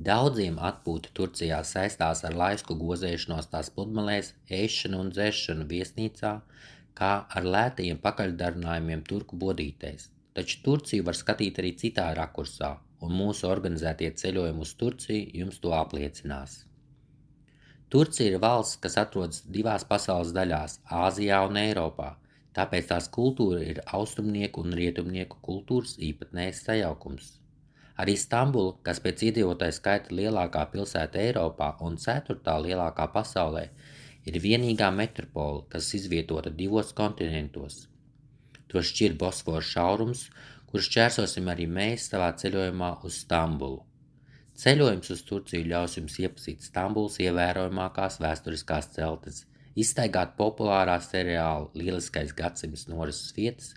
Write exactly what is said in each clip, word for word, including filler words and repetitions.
Daudziem atpūta Turcijā saistās ar laisku gozēšanos tās pludmalēs, ēšanu un dzeršanu viesnīcā, kā ar lētajiem pakaļdarinājumiem turku bodītēs. Taču Turciju var skatīt arī citā rakursā, un mūsu organizētie ceļojumi uz Turciju jums to apliecinās. Turcija ir valsts, kas atrodas divās pasaules daļās – Āzijā un Eiropā, tāpēc tās kultūra ir austrumnieku un rietumnieku kultūras īpatnējs sajaukums. Arī Stambula, kas pēc iedzīvotāju skaita lielākā pilsēta Eiropā un ceturtā lielākā pasaulē, ir vienīgā metropola, kas izvietota divos kontinentos. To šķir Bosfora šaurums, kurš šķērsosim arī mēs savā ceļojumā uz Stambulu. Ceļojums uz Turciju ļaus jums iepazīt Stambulas ievērojamākās vēsturiskās celtnes, izstaigāt populārā seriāla Lieliskais gadsimts norises vietas,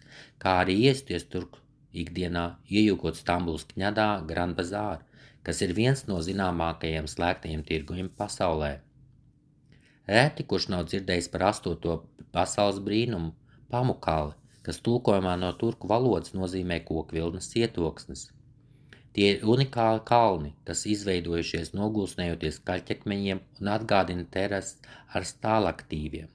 kā arī iesties turku ikdienā, iejūkot Stambulas kņadā Grand Bazāru, kas ir viens no zināmākajiem slēgtajiem tirgojiem pasaulē. Reti, kurš nav dzirdējis par astoto pasaules brīnumu Pamukali, kas tulkojumā no turku valodas nozīmē kokvilnas cietoksnes. Tie ir unikāli kalni, kas izveidojušies nogulsnējoties kaļķekmeņiem un atgādina terases ar stālaktīviem.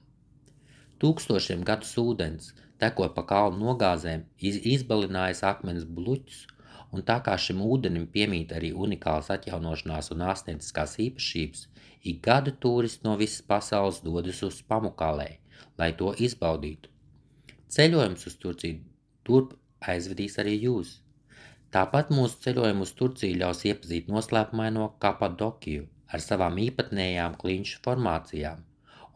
Tūkstošiem gadus ūdens, tekot pa kalnu nogāzēm, izbalinājis akmens bluķus, un tā kā šim ūdenim piemīt arī unikālas atjaunošanās un ārstnieciskās īpašības, ik gadu turisti no visas pasaules dodas uz Pamukalei, lai to izbaudītu. Ceļojums uz Turciju turp aizvedīs arī jūs. Tāpat mūsu ceļojumu uz Turciju ļaus iepazīt noslēpumaino Kapadokiju ar savām īpatnējām klinšu formācijām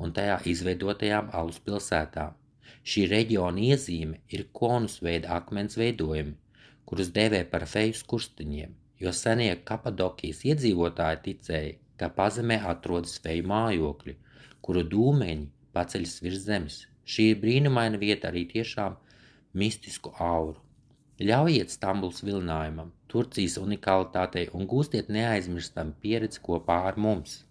un tajā izveidotajām alus pilsētām. Šī reģiona iezīme ir konusveida akmens veidojumi, kurus dēvē par feju skurstiņiem, jo senie Kapadokijas iedzīvotāji ticēja, ka pazemē atrodas feju mājokļi, kuru dūmeņi paceļas virs zemes. Šī ir brīnumaina vieta arī tiešām mistisku auru. Ļaujiet Stambulas vilinājumam, Turcijas unikalitātei un gūstiet neaizmirstam pieredzi kopā ar mums.